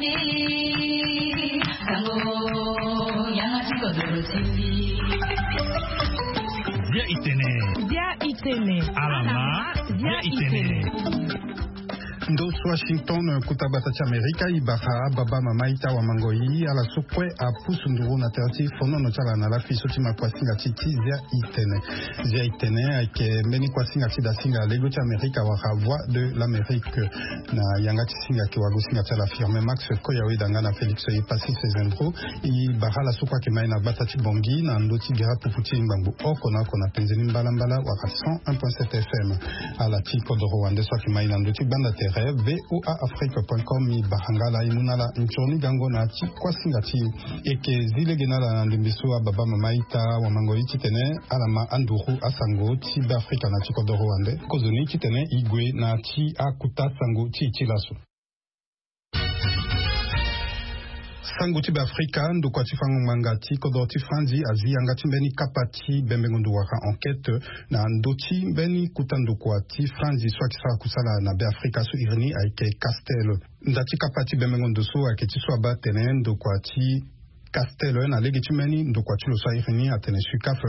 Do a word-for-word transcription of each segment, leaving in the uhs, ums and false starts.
Bia itene. Bia itene. Alama. Bia itene. Ndo so Washington, kuta gbata ti Amerika, i bara ababa mama ita wamangoi ala so kue apusu nduru na tere ti fonono ti ala na lafi so ti ma kuasinga ti ti Zia itene. Zia itene ayeke mbeni kuasinga ti dasinga lego ti Amerika wala Voix de l'Amérique. Na yanga ti singa ayeke wago singa ti ala Firmin Max Koyawe danga na Félix Epassis Sezendro. I bara ala so kue ayeke mai na gbata ti Bangui na ndö ti gara pupu ti ngbangbo oko na oko na penze ni mbalambala wala cent un point sept F M. Ala ti kodoro wande so ayeke mai na ndö ti gbanda tere V O A Afrique point com, i bara nga ala, i mu na ala nzoni gango na ya ti kuasinga ti e. E yeke zi lege na ala na ndembe so ababa mama ita wamangoi titene ala ma anduru asango ti Beafrika na ya ti kodoro wande. Kozoni titene e gue na ya ti akuta sango ti e ti laso. Sango ti Beafrika, ndokua ti fango ngbanga ti kodoro ti Franzi azi yanga ti mbeni kapa ti bembengo ndo wala enquête na ndö ti mbeni kuta ndokua ti Franzi so ayeke sara kusala na Beafrika so iri ni ayeke Castel. Nda ti kapa ti bembengo ndo so ayeke ti so abaa atene ndokua ti Castel na lege ti mbeni ndokua ti lo so airi ni atene SUCAF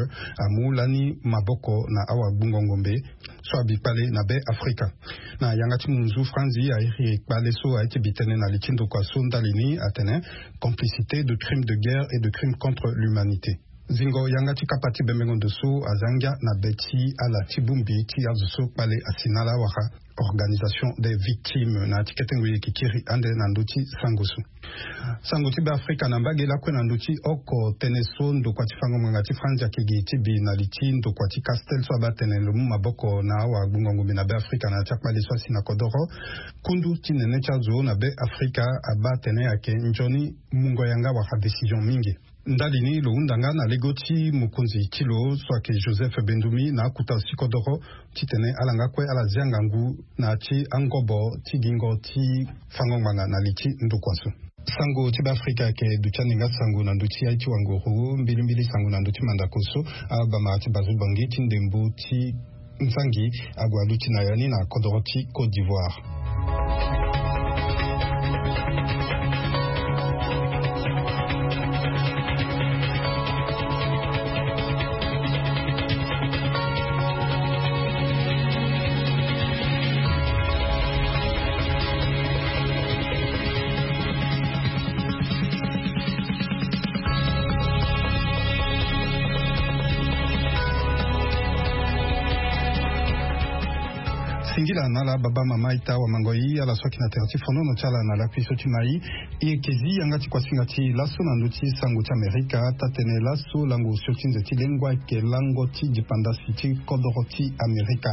amu lani maboko na awagbungo ngombe so abi kpale na Beafrika. Na yanga ti munzu Franzi airi kpale so aye ti bi tënë na li ti ndokua so ndali ni atene complicité de crimes de guerre et de crimes contre l'humanité. Zingo yanga ti kapa ti bembengo ndo so aza ngia na be ti ala ti bongbi ti azo so kpale asi na ala wala organisation des victimes na ya ti kete ngoi e yeke kiri ande na ndö ti sango so. Sango ti Beafrika na mbage lakue na ndö ti oko tënë so ndokua ti fango ngbanga ti Franzi ayeke gi ti bi na li ti ndokua ti Castel so abaa atene lo mu maboko na awagbungo ngombe na Beafrika na ya ti akpale so asi na kodoro. Kundu ti nene ti azo na Beafrika abaa atene ayeke nzoni mungo yanga wala décision mingi. Ndali ni lo hunda nga na lego ti mokonzi ti lo so ayeke Joseph Bendoumi na akuta si kodoro titene ala nga kue ala zia ngangu na ya ti angobo ti gingo ti fango ngbanga na li ti ndokua so. Sango ti Beafrika ayeke duti ande nga sango na ndö ti aye ti wanguru, mbilimbili sango na ndö ti mandako so abamara ti bazo Bangui ti ndembo ti nzangi ague aluti na ya ni na kodoro ti Côte d'Ivoire. Singila na ala baba mama ita wamangoi ala so ayeke na tere ti fonono ti ala na lakui so ti mai. E yeke zi yanga ti kuasinga ti laso na ndö ti sango ti Amerika, taa-tënë laso lango osio ti nze ti lengua ayeke lango ti dipandasi ti kodoro ti Amerika.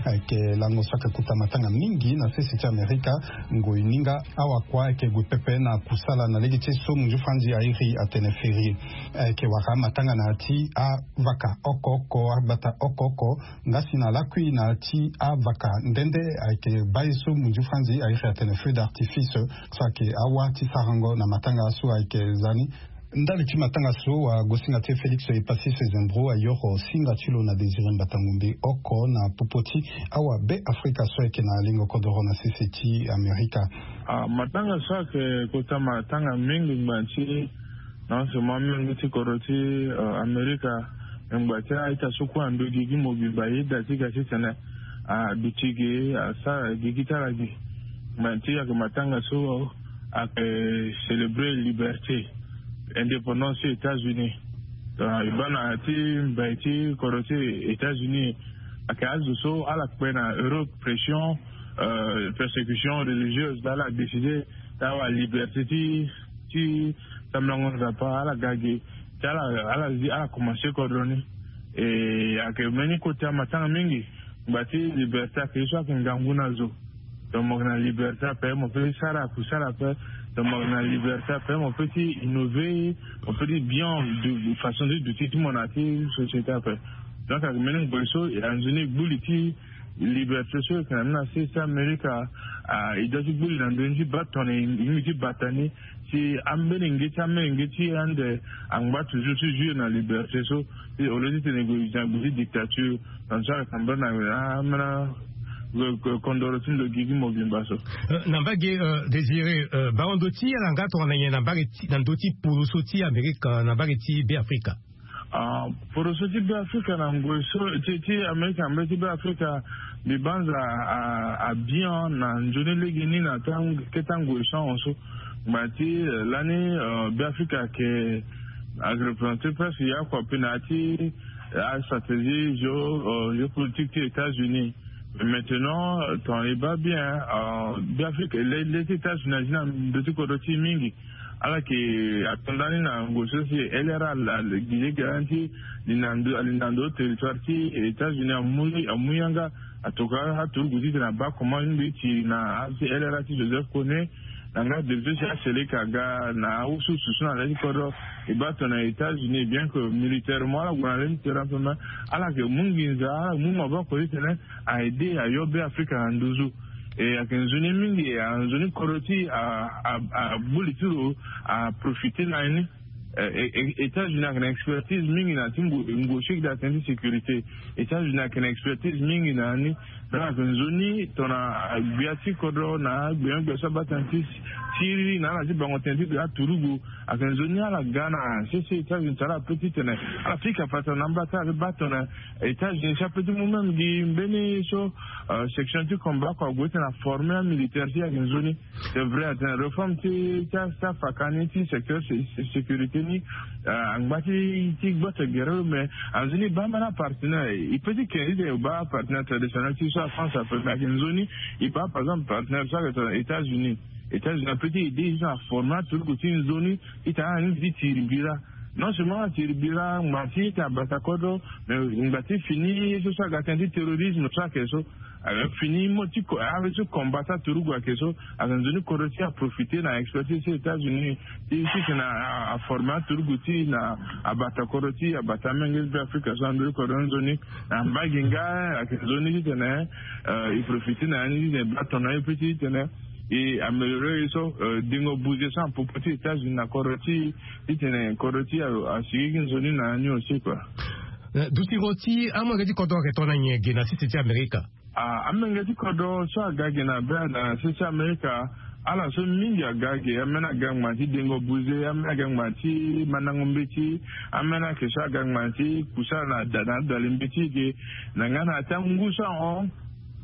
Ayeke lango so ayeke kota matanga mingi na sese ti Amerika. Ngoi ni nga awakua ayeke gue pepe na kusala na lege ti so munzu Franzi airi atene férié. Ayeke wara matanga na ya ti avaka oko oko, agbata oko oko. Nga si na lakui na ya ti avaka nde nde ayeke baa ye so munzu Franzi airi atene feu d'artifice, so ayeke awa ti sarango na matanga so ayeke za ni. Ndali ti matanga so, wagosinga ti e Félix Epassis Sezembro ayoro singa ti lo na Désiré Mbata Ngombe oko na popo ti awa Beafrika so ayeke na lingo kodoro na sese ti Amerika. Ah, matanga so ayeke kota matanga mingi ngba ti na ose mo amenge ti kodro ti, eh, Amerika. Ngba ti a-ita so kue ando gigi mobimba, e da ti ga titene aduti ge, asara gigi ti ala ge. Ngba ti ayeke matanga so ayeke célébrer liberté, indépendance ti États-Unis. Donc e baa na ya ti mbai ti kodro ti États-Unis, ayeke azo so ala kpe na Europe pression, euh, persécution religieuse, ala décider ti awa liberté ti, ti sambelango Nzapa, ala ga ge ti ala, ala zi, ala commencer kodro ni. E ayeke mbeni kota matanga mingi. Ngba ti liberté ayeke ye so ayeke ngangu na zo. Donc mo yeke na liberté ape, mo peut ti sara kusala ape. Donc mo yeke na liberté ape, mo peut ti innover, mo peut ti bien du, façon ti duti ti mo na ya ti société ape. Donc ayeke mbeni ngoi so, e anzoni gbu li ti liberté so e yeke na ni na sese ti Amerika, ah, e doit ti gbu li na ndoni ti baa tongana e yingi ti bata ni, si ambeni nge ti, ambeni nge ti ande angba toujours ti jouir na liberté so, si au lieu titene e gue e zi na gbe ti dictature, tongana so ayeke tambula na, ah, ambeni Kondoro ti ndo gigi mobimba so. Na mbage, désiré, bango ndo ti ala nga tongana nyen na mbage ti na ndo ti poroso ti amerika na mbage ti be afrika? Poroso ti be afrika na ngoi so ti amerika na mbage ti be afrika, mbi banza abien na nzoni lege ni na keta ngoi so ahon so. Ngbanga ti lani be afrika ayeke représenter presque ya kua pe na ya ti astratégie géopolitique ti états-unis. Maintenant ton e baa bien, be afrika le ti états-unis azi na ndo ti kodro ti e mingi. Ala yeke ato ndani na ngoi so si lra gi lege lani ti li na ndo li na ndo territoire ti états-unis amu yanga. Atoka aturugu titene abaa comment mingi ti na asi lra ti joseph kone na nga debite si aseleka aga na awususu so na le ti kodro. E baa tongana états-unis bien que militairement ala gue na le ti terrain pe me ala yeke mu nginza ala mu maboko titene a aide ayo be afrika na nduzu. E ayeke nzoni mingi e nzoni kodro ti agbu li ti lo aprofite na ye ni. États-unis ayeke na expertise mingi na ti ngu siki da tene ti sécurité. États-unis ayeke na expertise mingi na ni. Donc ayeke nzoni tongana agbia ti kodro na agbia gbia so abaa tene ti siri na ala ti bango tene ti gbia aturugu. Ayeke nzoni ala ga na sese états-unis tara ape titene ala pika fata na amba ti ala pe baa tongana états-unis si ape ti mu même gi mbeni so section ti combat kua ague titene aforme amilitaire ti ayeke nzoni. C'est vrai atene réforme ti ti afaka ni ti secteur sécurité ni angba ti ti gbote gere lo mais anzoni e baa mbeni apartenaire e pe ti kende titene e baa apartenaire traditionnel ti so afrance ape mais ayeke nzoni e baa par exemple partenaire so ayeke tongana états-unis. États-unis ape ti aide e so aforme aturugu ti nzoni titene ala ni ti tiri bira. Non seulement ala tiri bira ngba ti tene abata kodro mais ngba ti fini ye so so aga tënë ti terrorisme so ayeke so. Fini mo ti ave ti combat ti aturugu ayeke so. Ayeke nzoni kodro ti aprofite na expertise ti états-unis ti titene aforme aturugu ti na abata kodro ti abata amenge ti be afrika so na ndö ti kodro ni nzoni. Na mbage nga ayeke nzoni titene e profite na ya ni titene e baa tongana ye pe ti titene e améliore ye so dengo buze so na popo ti états-unis na kodro ti titene kodro ti asigigi nzoni na ya ni aussi kua. Dutingo ti amolenge ti kodro ayeke tongana nyen ge na sese ti amerika? Amenge ti kodro so aga ge na be na sese ti amerika ala so mingi aga ge ambeni aga ngbanga ti dengo buze ambeni aga ngbanga ti mandango mbeti. Ambeni ayeke so aga ngbanga ti kusa na da na adali mbeti ge na nga na ya ti angu so ahon.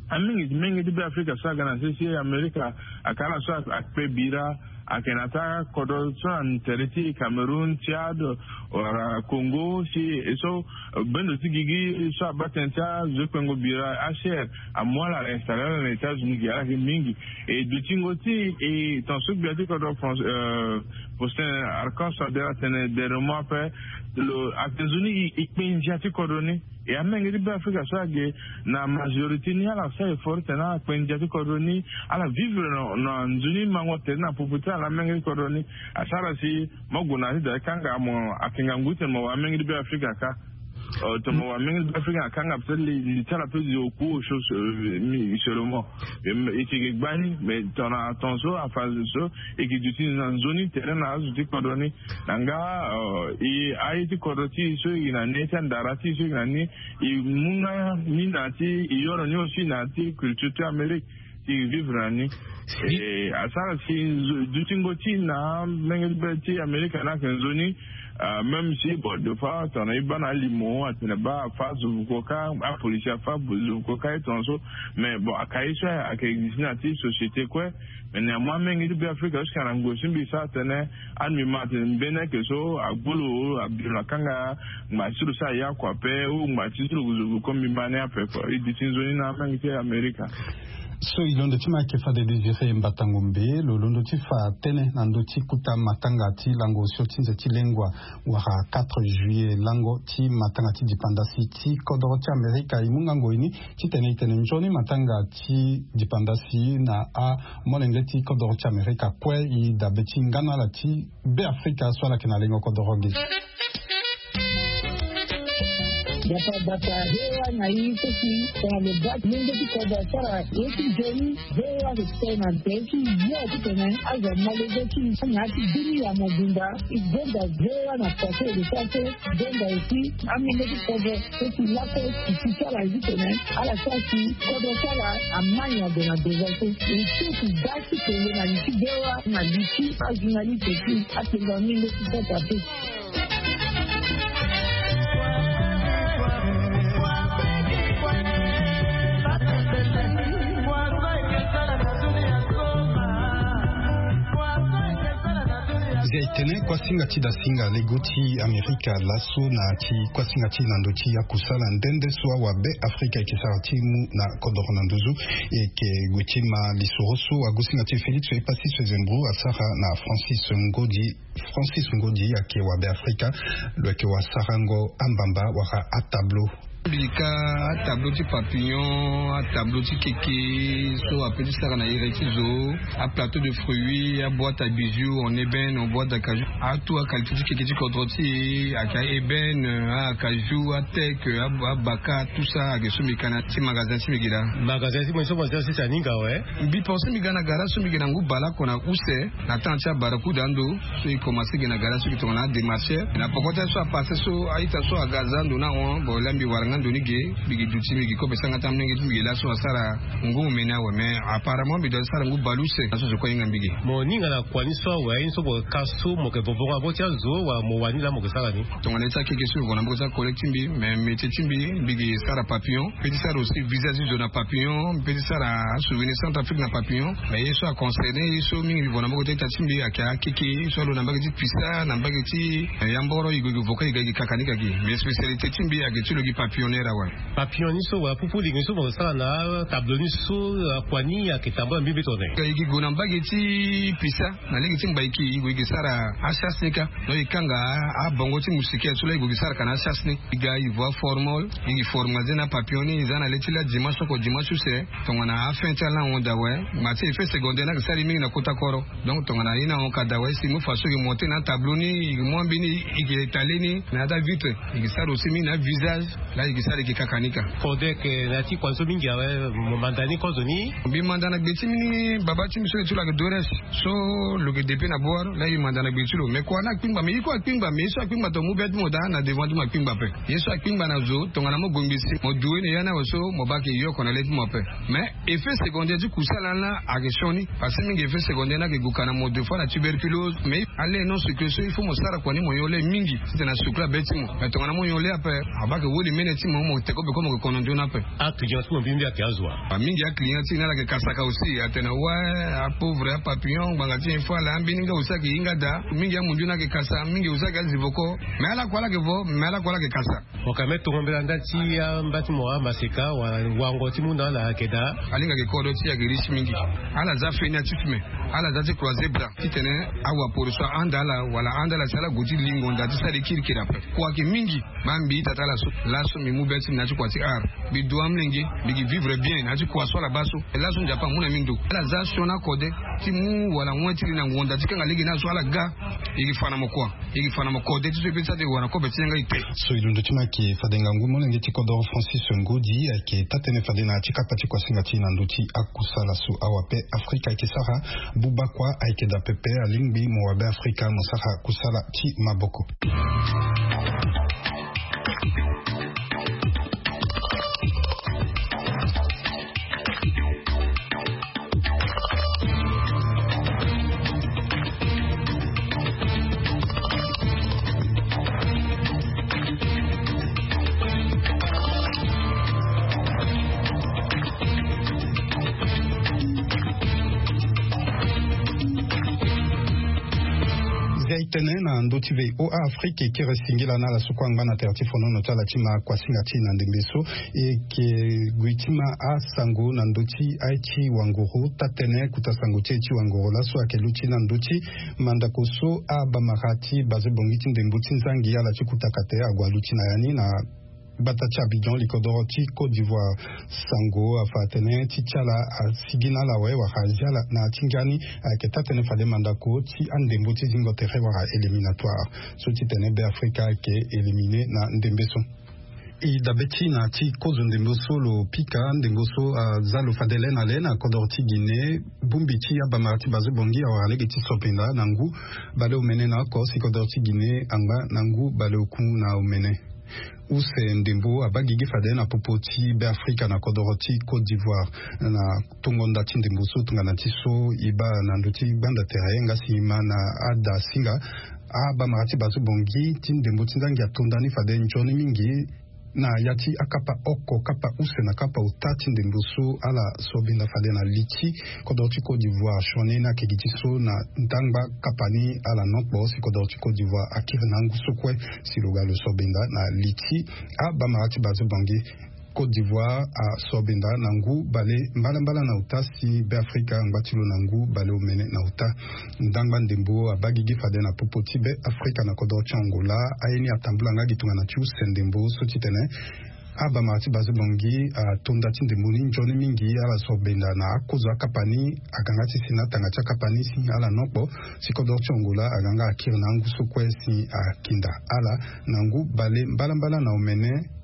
Amenge ti menge ti be afrika so aga na sese amerika ayeke ala so akpe bira. Ayeke na ya ti akodro so na tere ti cameroun tchad wala congo si e so bendo ti gigi so abaa tënë ti azo ti kpengo bira acher amu ala ala installe ala na états-unis gi ala yeke mingi. E dutingo ti e ton so gbia ti kodro faustin archange so ade ala tene dernièrement ape lo ayeke nzoni e kpe ndia ti kodro ni. E amenge ti be afrika so age na majorité ni ala sara effort titene ala kpe ndia ti kodro ni ala vivre na nzoni mango tere na popo ti ala na amenge ti kodro ni. Asara si mo gue na ya ti da ti kanga mo ayeke ngangu titene mo wara amenge ti be afrika kâ. Tongana mo wara amenge ti be afrika na kanga peut-être li ti ala peut zo ku osio seulement. E yeke gbani mais tongana ton so afa zo so e yeke duti na nzoni tere na azo ti kodro ni. Na nga e aye ti kodro ti e so e yeke na ni ti andara ti e so e yeke na ni e mu nga ni na ya ti e yoro ni aussi na ya ti culture ti amérique ti e vivre na ni. Asara si dutingo ti na amenge ti be ti amérique ni ayeke nzoni. Même si bon des fois tongana e baa na alimo atene baa afa zo vuko kâ apolisi afa zo vuko kâ e tongana so. Mais bon aka ye so ayeke existe na ya ti société kue. Mais néanmoins amenge ti be afrika jusque na ngoi so mbi sara tene anu mbi ma atene mbeni ayeke so agbu lo abiro na kanga ngba ti lo so aya kua ape ou ngba ti so lo zo vuko mbi ma ni ape kua e duti nzoni na amenge ti amerika. So e londo ti ma ayeke fade désiré mbatango mbe lo londo ti fa tënë na ndö ti kota matanga ti lango osio ti nze ti lengua wala quatre juillet lango ti matanga ti dipandasi ti kodoro ti amerika e mu ngango e ni titene e tene nzoni matanga ti dipandasi na amolenge ti kodoro ti amerika kue e dabe ti nga na ala ti be afrika so ala yeke na lengo kodoro ge. Yapa bata hewa na i so si tongana lo baa ti lenge ti kodro asara ye ti nzoni. Hewa so ti tene na nze ti yo ti tene azo amolenge ti na ya ti bini ya mobimba. I gonda hewa na pase e lo sara so. I gonda aussi amolenge ti kodro so si lako si ti sara ye ti tene ala sara si kodro ti ala amani ado na devant so. E so si ga ti tene na li ti hewa na li ti ajournaliste ti atenga mingi ti sota pe. Zia e tene kuasinga ti dasinga lego ti Amerika laso na ti kuasinga ti na ndö ti akusala nde nde so awabe Afrika e ke sara ti mu na kodoro na nduzu. E ke gue ti ma lisoro so agusinga ti Félix Epassi Sezembro asara na Francis Ngodi. Francis Ngodi ayeke wabe Afrika. Lo yeke wasarango ambamba wala atableau. Mbi ka atableau ti papillon, atableau ti keke so ape ti sara na iri ti zo, aplateau de fruits, aboîte à bijoux en ébène, en boîte d'acajou, atout aqualité ti keke ti kodro ti e ayeke aébène, acajou, ateke, abaka, tout ça ayeke so mbi ka na ti magasin ti mbi gi laa. Magasin ti mo so mo ti asisa aninga awe. Mbi pense mbi ga na gara so mbi gi na ngu baleoko na use. Na temps ti abarakuda ando so e commence gi na gara so e gi tongana adémarcheur na poko ti aye so apasse so, a-ita so aga aza ando ni ahon. Bon, laa mbi wara nga ndo ni ge. Mbi gi duti mbi gi kobe sanga ti amolenge ti mbi gi laso asara ngu omeni awe, mais apparemment mbi doit ti sara ngu baleuse na so zo kue ahinga mbi ge. Mo ninga na kua ni so awe aye ni so mo ka so mo yeke vovongo na mboko ti azo wala mo wani laa mo yeke sara ni? Tongana ye ti akeke so mbi vo na mboko ti acollègue ti mbi, mais métier ti mbi mbi gi sara papillon. Mpe ti sara aussi visage ti zo na papillon, mpe ti sara asouvenir Centrafrique na papillon. Mais ye so aconcerné ye so mingi mbi vo na mboko ti ita ti mbi ayeke akeke ye so alo na mbage ti pisa na mbage ti yamboro, e gue e gue vo ka e ga e gi kakanika gi. Mais spécialité ti mbi ayeke ti lo gi papillonneur awe. Papillon ni so wala pupu lege ni so mo sara na tableau ni so, akua ni ayeke tambula mbi mbi tone? E gi gue na mbage ti pisa na lege ti mbaiki e gue e gi sara achasse ni ka. Donc e kanga abongo ti moustiquaire so laa e gue e gi sara ka na achasse ni. E ga e vo aformol, e gi formaliser na apapillon ni, e za na le ti laa dimanche oko dimanche use. Tongana afin ti ala ahon daa awe. Ngba ti effet secondaire ni ayeke sara e mingi na kota koro. Donc tongana ye ni ahon ka daa awe si e mu façon e gi monter na atableau ni, e gi mu ambeni, e gi étaler ni na ya ti avitre. E gi sara aussi mingi na avisage. Laa e gi sara e gi kakanika. Fode ayeke na ya ti kua ni so mingi awe, mo manda ni kozoni? Mbi manda na gbe ti mbi ni, baba ti mbi so lo ti lo ayeke Dores. So lo yeke depuis na bor laa e manda na gbe ti lo. Mais kua ni akpingba, mais ye kue akpingba, mais ye so akpingba tongana mu be ti mo daa na devant ti mo akpingba ape. Ye so akpingba na zo tongana mo gue ngbi si mo due na ya ni awe so mo baa ayeke yoko na le ti mo ape. Mais effet secondaire ti kusala ni laa ayeke sioni. Parce que mingi effet secondaire ni ayeke gue ka na mo deux fois na tuberculose. Mais ale non sucré so il faut mo sara kua ni mo nyon lait mingi titene asucre abe ti mo. Mais tongana mo nyon lait ape, abaa ayeke woli mene ti mo, mo te kobe kue mo yeke kono nzoni ape. Aclient ti mo mbi mbi ayeke azo wa? Mingi aclient ti ni ala yeke kasaka aussi, atene ouais, apauvre, apapillon, ngbanga ti info ala, ambeni nga aussi ayeke hinga daa. Mingi amundu ni ayeke kasa, mingi aussi ayeke azi voko. Mais ala kue ala yeke vo, mais ala kue ala yeke kasa. Mo ka me tongo mbela nda ti amba ti mo amaseka wala wango ti mu na ala ayeke daa. Alinga ayeke kodro ti e ayeke riche mingi. Ala za feni ya ti fume. Ala za ti croiser bras titene awaporo so ahanda ala wala ahanda ala si ala gue ti lingo nda ti sara e kirikiri ape. Kua ayeke mingi. Baa mbi ita ti ala so laso mbi mu be ti mbi na ya ti kua ti art. Mbi du amolenge, mbi gi vivre bien na ya ti kua so ala baa so. Laso Nzapa amu na mbi ndo. Ala za sioni akode ti mu wala wen ti li na ngonda ti kanga lege ni azo ala ga. E gi fa na mo kua. E gi fa na mo kode ti so e pe ti sara ti e wara na kobe ti yanga ete. So e londo ti mo ayeke fade ngangu molenge ti kodoro Francis Ngodi ayeke taa-tënë fade na ya ti kapa ti kuasinga ti e na ndö ti akusala so awabe Afrika ayeke sara. Buba kua ayeke daa pepe, alingbi mo wabe Afrika mo sara kusala ti maboko. Zia e tene na ndö ti V O A Afrique e kiri singila na ala so kue angba na tere ti fonono ti ala ti ma kuasinga ti e na ndembe so. E yeke gue ti ma asango na ndö ti aye ti wanguru. Taa-tënë kota sango ti aye ti wanguru laso ayeke luti na ndö ti mandako so abamara ti baze bongi ti ndembo ti nzangi ala ti kota kate ague aluti na ya ni na gbata ti Abidjan, likodoro ti Côte d'Ivoire. Sango afa atene ti ti ala asigi na ala awe wala azia ala na ya ti ngia ni. Ayeke taa-tënë fade mandako ti andembo ti zingo tere wala éliminatoire so ti tene Be Afrika ayeke éliminé na ndembe so. E dabe ti na ti kozo ndembo so lo pika ndembo so aza lo fade le na le na kodoro ti Guinée. Bongbi ti abamara ti Bazo Bangui awara lege ti so mpenza na ngu baleomene na oko si kodoro ti Guinée angba na ngu baleoku na omene. Use ndembo abaa gigi fade na popo ti Beafrika na kodoro ti Côte d'Ivoire. Na tongo nda ti ndembo so tongana ti so e baa na ndö ti gbanda tere nga si e ma na ada singa, abamara ti Bazo Bangui ti ndembo ti nzangi atonda ni fade nzoni mingi na ya ti akapa oko, kapa use na kapa ota ti ndembo so ala so benda fade na li ti kodoro ti Côte d'Ivoire sioni ni ayeke gi ti so na ndangba kapa ni ala nokpo si kodoro ti Côte d'Ivoire akiri na angu so kue. Si lo ga lo so benda na li ti abamara ti Bazo Bangui, Côte d'Ivoire aso benda na ngu bale mbalambala na ota si Beafrika angba ti lo na ngu baleomene na ota. Ndangba ndembo abaa gigi fade na popo ti Beafrika na kodoro ti Angola. Aye ni atambula nga gi tongana ti use ndembo so titene abamara ti Bazo Bangui atonda ti ndembo ni nzoni mingi. Ala so benda na akozo akapa ni aga nga ti si na atanga ti akapa ni si ala nokpo si kodoro ti Angola aga nga akiri na angu so kue si akinda ala na ngu bale mbalambala na omene.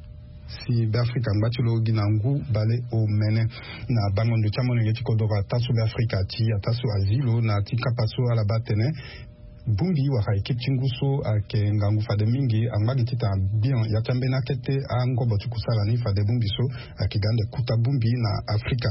Si Beafrika angba ti lo gi na ngu baleomene. Na bango ndo ti amolenge ti kodoro ata so Beafrika ti ata so azi lo na ti kapa so ala baa tene bongbi wala ekipe ti ngu so ayeke ngangu fade mingi angba gi titene abian ya ti ambeni akete angobo ti kusala ni fade bongbi so ayeke ga ande kuta bongbi na Afrika.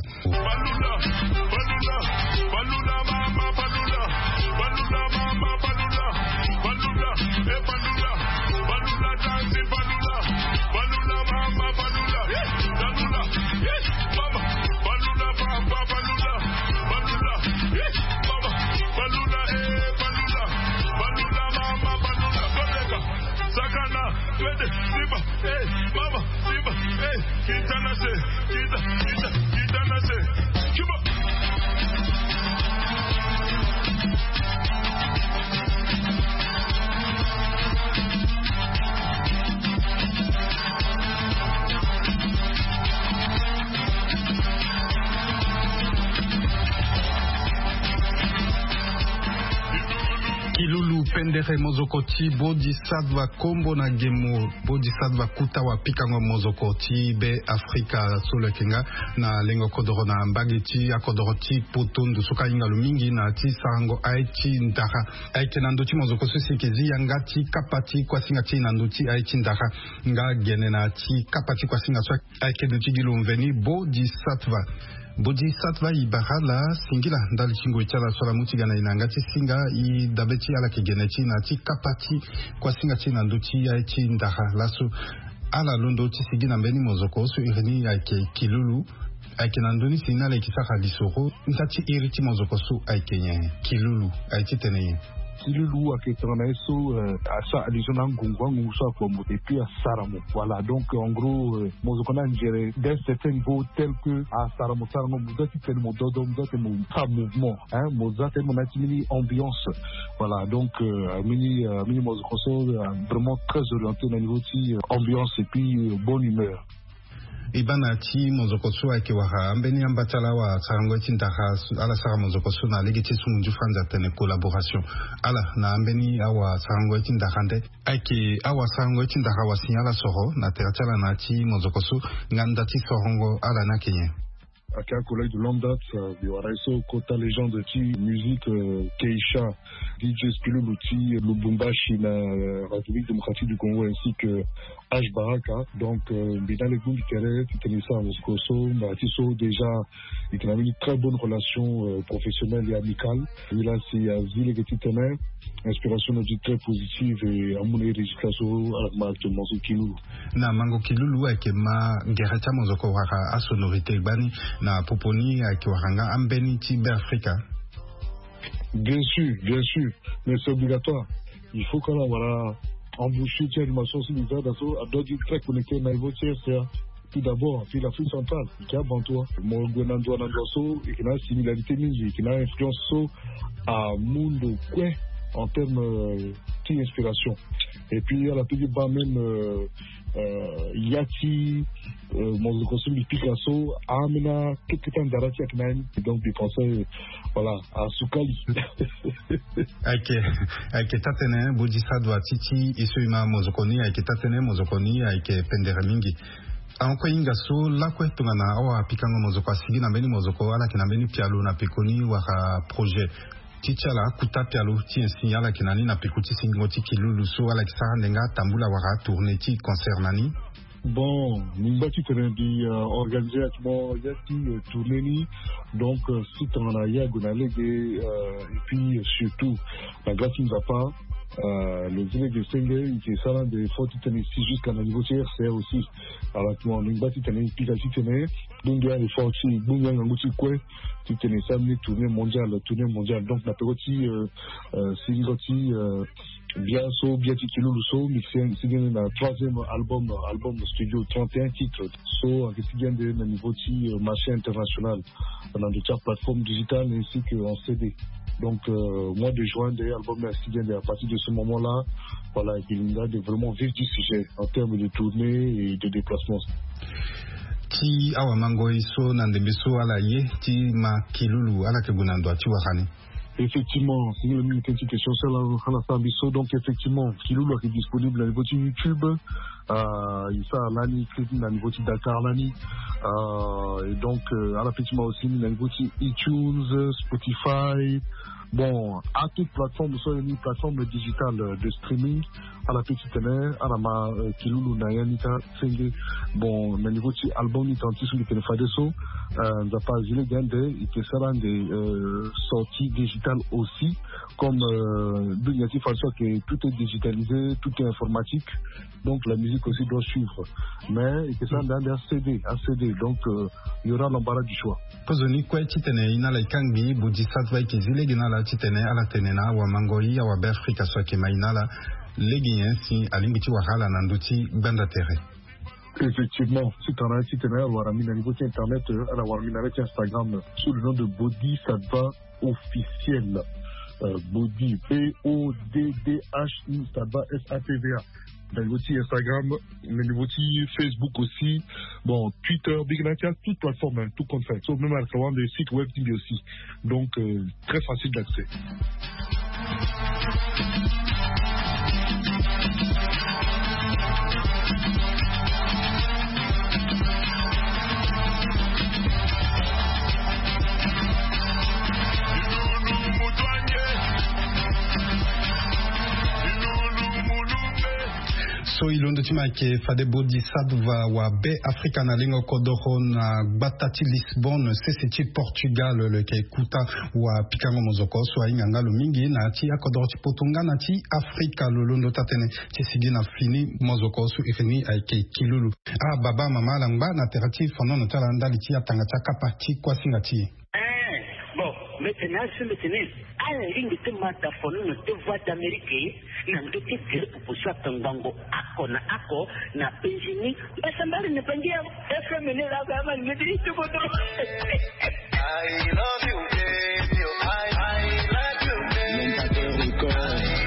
Kilulu pendere mozoko ti Bodi Sadva kombo na gemo. Bodi Sadva kuta wa pikango mozoko ti Beafrika so lo yeke nga na lengo kodoro na mbage ti akodoro ti poto ndusu ka ahinga lo mingi na ti sarango aye ti ndara. Ayeke na ndö ti mozoko so si eke zi yanga ti kapa ti kuasinga ti e na ndö ti aye ti ndara nga gene na ti kapa ti kuasinga so ayeke duti gi lo mveni Bodi Satva. Bodi Satva, e bara ala singila ndali ti ngoi ti ala so ala mu ti ga na e na yanga ti singa. E dabe ti ala yeke gene ti e na ti kapa ti kuasinga ti e na ndö ti aye ti ndara laso. Ala londo ti sigi na mbeni mozoko so iri ni ayeke Kilulu. Ayeke na ndö ni si ni ala yeke sara lisoro nda ti iri ti mozoko so ayeke nyen? Kilulu aye ti tene nyen? Kilulu ayeke tongana ye so, euh, asara allusion na angungu, angungu so akpo mo et puis asara mo. Voilà, donc en gros, euh, mozoko ni anzere d'un certain niveau tel que asara mo, sara mo, mo doit ti tene mo dodo, mo doit ti tene mo sara mouvement, hein, mo za ti tene mo na ya ti mbeni ambiance. Voilà, donc, euh, mbeni, euh, mbeni mozoko so, euh, vraiment très orienté na niveau ti, euh, ambiance et puis, euh, bonne humeur. E baa na ya ti mozoko so ayeke wara ambeni amba ti ala awasarango ye ti ndara so, ala sara mozoko so na lege ti sungu ndio franzi atene collaboration. Ala na ambeni awasarango ye ti ndara nde ayeke awasarango ye ti ndara wasi ala soro na tere ti ala na ya ti mozoko so, nga nda ti sorongo ala ni ayeke nyen? Ayeke un collègue de longue date, euh, mbi wara ye so kota légende ti musique, euh, Keisha, D J Spilulu ti Lubumbashi na, euh, République Démocratique du Congo, ainsi que H Baraka. Donc, euh, mbi na lege bongbi tere ti tene e sara mozoko so, mbi na ya ti so déjà e yeke na mbeni très bonne relation, euh, professionnelle et amicale. Mbi la si azi lege ti tene inspiration na e ti très positive et amu na e résultat so ala ma actuellement so Kilulu. Na mango Kilulu ayeke ma gere ti amozoko wala asonorité gbani na popo ni ayeke wara nga ambeni ti Beafrika? Bien sûr, bien sûr, mais c'est obligatoire. Il faut que ala wara embouchure ti animation so mbi za daa so, adoit ti très connecté na niveau ti R C A. Tout d'abord, puis l'Afrique centrale, e yeke abanto. Mo gue na ndo na ndo so, e yeke na similarité mingi, e yeke na influence so amu ndo kue en terme, euh, ti inspiration. Et puis ala peut ti baa même, euh, euh, ya ti, euh, mozoko so mbi pika so, ambeni akete ti andara ti ayeke na ya ni. Donc mbi pense, euh, voilà, asukali. Ayeke, ayeke taa-tënë Bodi Sadva ti ti e so e ma mozoko ni, ayeke taa-tënë mozoko ni ayeke pendere mingi. Ahon kue hinga so lakue tongana awapikango mozoko asigi na mbeni mozoko, ala yeke na mbeni pialo na pekoni wala projet ti ti ala akuta pialo ti nyen si ala yeke na ni na peko ti sigingo ti kilulu so ala yeke sara ndenga atambula wala atourné ti concert na ni? Bon, mbi ngba titene mbi, euh, organiser actuellement ya ti, euh, tournée ni. Donc, euh, si tongana ya gue na lege, euh, et puis, euh, surtout na gba ti Nzapa, euh, lo zi lege senge e yeke sara ande effort titene e si jusqu'à na niveau ti R C A aussi. Alors actuellement mbi ngba titene mbi pika titene e bongbi a-effort ti e, bongbi angangu ti e kue, titene e sara mbeni tournée mondiale, tournée mondiale. Donc na peko ti, euh, euh, sigingo ti, euh, bia so, bia ti kilulu so, mbi si, mbi sigi na troisième album, album studio, trente et un titres. So ayeke sigi ande na niveau ti, euh, marché international, na ndo ti aplateforme digitale ainsi que en C D. Donc, euh, mois de juin ande album ni asigi ande. À partir de ce moment-là, voilà, e yeke linga ande vraiment vif du sujet en termes de tournée et de déplacement. Ti awamangoi so na ndembe so ala ye ti ma kilulu, ala yeke gue na ndo ti wara ni? Effectivement, singila mingi tënë ti question so ala, ala sara mbi so. Donc effectivement, kilulu ayeke disponible na niveau ti YouTube. Euh, e sara lani clip na niveau ti Dakar lani. Euh, et donc, euh, ala peut ti ma aussi na niveau ti iTunes, Spotify. Bon, a toute plateforme so, ni plateforme digitale, euh, de streaming, ala peut titene ala ma, euh, kilulu na ya ni kâ senge. Bon, na niveau ti album ni tongana ti so mbi tene fadeso, euh, Nzapa azi lege ande e yeke sara ande, euh, sortie digitale aussi, comme, euh, dunia ti fadeso ayeke tout est digitalisé, tout est informatique. Donc la musique aussi doit suivre. Mais e yeke sara ande, ande a-CD, a-CD. Donc, euh, il y aura l'embarras du choix. Kozoni kue titene e na ala e kangbi Bodi Sadva e yeke zi lege na ala titene ala tene na awamangoi, awabeafrika so ayeke ma e na ala lege nyen si alingbi ti wara ala na ndö ti gbanda tere? Effectivement, si tongana titene ala wara mbi na niveau ti internet, euh, ala wara mbi na ala ti Instagram sous le nom de Bodi Sadva officiel. Euh, Bodi, B O D D H I, Sadva, S A T V A. Na niveau ti Instagram, na niveau ti Facebook aussi. Bon, Twitter, mbi yeke na ya ti a toute plateforme, hein, tout compte fait. So même ala wara ande site web ti mbi aussi. Donc, euh, très facile d'accès. So e londo ti ma ayeke fade Bodi Sadva wa Be Afrika na lengo kodoro na gbata ti Lisbonne, sese ti Portugal, lo yeke kuta wapikango mozoko so ahinga nga lo mingi na ya ti akodoro ti poto nga na ti Afrika. Lo londo taa-tënë ti sigi na fini mozoko so iri ni ayeke kilulu. Ah baba, mama, ala ngba na tere ti fonono ti ala ndali ti atanga ti akapa ti kuasinga ti e. Eh, bon, mbi tene asi, mbi tene ala lingbi ti ma da fonono ti Voix d'Amérique na ndö ti gere popo so akangbango oko na oko na penzi ni. Mbasambala na bangi ya F M ni laa, ama ni ti kodro. I love you, baby. I, I love you, baby. I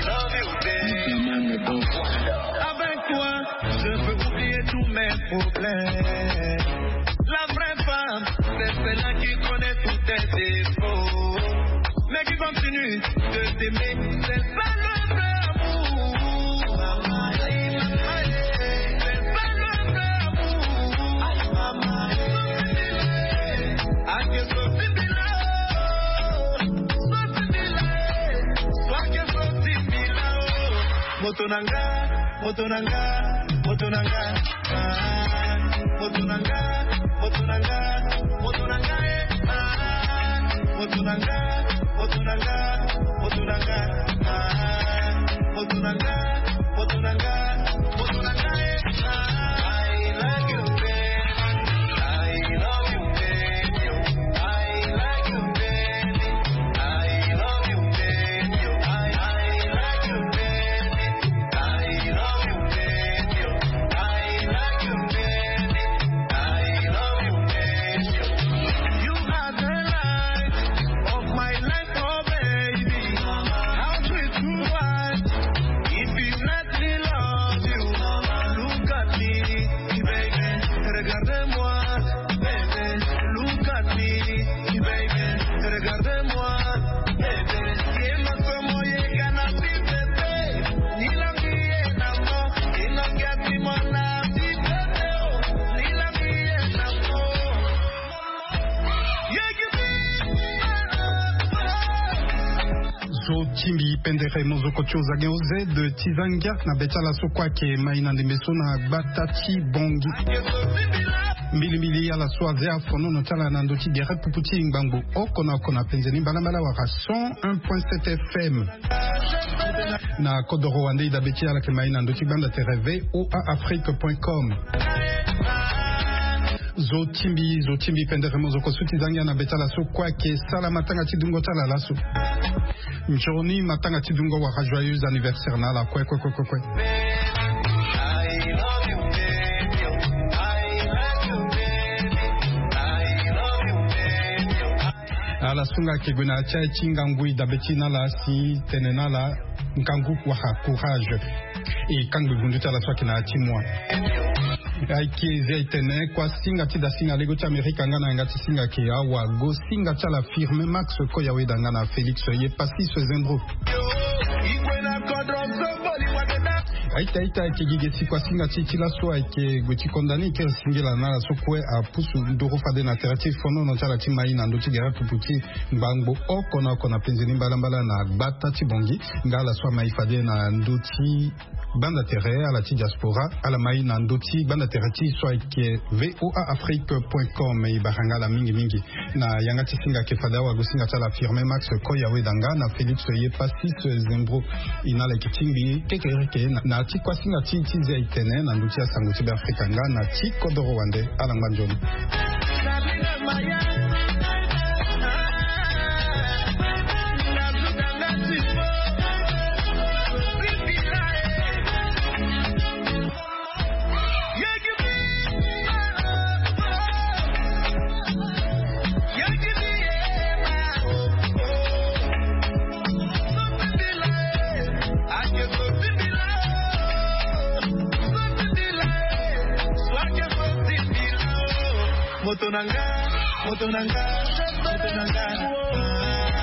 love you, baby. Avec toi, je peux oublier tous mes problèmes. La vraie femme, c'est celle-là qui connaît tous tes défauts, mais qui continue de t'aimer. C'est ça le vrai amour. C'est ça le vrai amour. Ake so sibila, so sibila, so ake so sibila, oh. Moto na nga, moto na nga, moto na nga, ah, moto na nga, moto na nga, moto na nga, eh, ah, moto na nga, moto na nga, moto na nga, ah, moto na nga, moto na nga, moto na nga, eh, ah. I like you, baby. I love you, baby. I like you, baby. I love you, baby. I, I like you, baby. I love you, baby. I like you, baby. I love you, baby. Timbi pendere mozoko ti ozange oze de ti zangia na be ti ala so kue ayeke mai na ndembe so na gbata ti bongi. Mbilimbili ala so aze afonono ti ala na ndö ti gere pupu ti ngbangbo oko na oko na penze ni mbalambala wala cent un point sept F M. Na kodoro wande e dabe ti ala yeke mai na ndö ti gbanda tere V O A Afrique point com. Zo timbi zo timbi pendere mozoko so ti zangia na be ti ala so kue ayeke sala matanga ti dungo ti ala laso. Nzoni matanga ti dungo wala joyeux anniversaire na ala kue kue kue kue kue. Ala so nga ayeke gue na ya ti aye ti ngangu e dabe ti na ala si tene na ala ngangu wala courage. E kangbi gundu ti ala so ayeke na ya ti moi. Ayeke zi aye tene kuâ singa ti da singa lego ti amerika nga na yanga ti singa ayeke awago singa ti ala firme max koya weda nga na félix ye passis zembro. Aita aita ayeke gi ge si kuâ singa ti e ti laso ayeke gue ti konda ni e kiri singila na ala so kue apusu nduru fade na tere ti fonono ti ala ti mai na ndö ti gere pupu ti ngbangbo oko na oko na penze ni mbalambala na gbata ti bongi. Nga ala so amai fade na ndö ti gbanda tere ala ti diaspora ala mai na ndö ti gbanda tere ti e so ayeke V O A Afrique point com. E bara nga ala mingi mingi na yanga ti singa ayeke fade awago singa ti ala firme max koya weda nga na félix ye passis zembro. E na ala yeke tingbi kekereke na ti kuâ singa ti ti zi aye tene na ndö ti asango ti be afrika nga na ti kodoro wande. Ala ngba nzoni. Moto na nga, moto na nga, moto na nga.